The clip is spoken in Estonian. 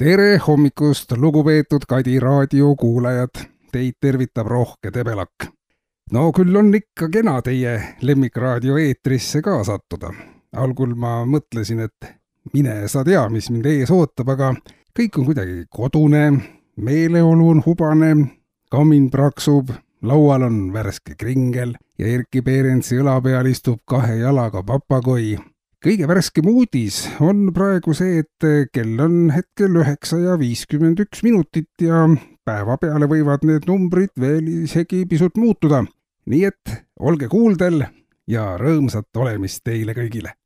Tere hommikust, lugupeetud Kadi raadio kuulajad. Teid tervitab Rohke Debelak. No küll on ikka kena teie lemmikraadio eetrisse ka sattuda. Algul ma mõtlesin, et mine sa tea, mis mind ees ootab, aga kõik on kuidagi kodune, meeleolu on hubane, kamin praksub, laual on värske kringel ja Erki Peerensi õla peal istub 2 jalaga papagoi. Kõige värskem uudis on praegu see, et kell on hetkel 9:51 ja päeva peale võivad need numbrid veel isegi pisut muutuda. Nii et olge kuuldel ja rõõmsat olemist teile kõigile.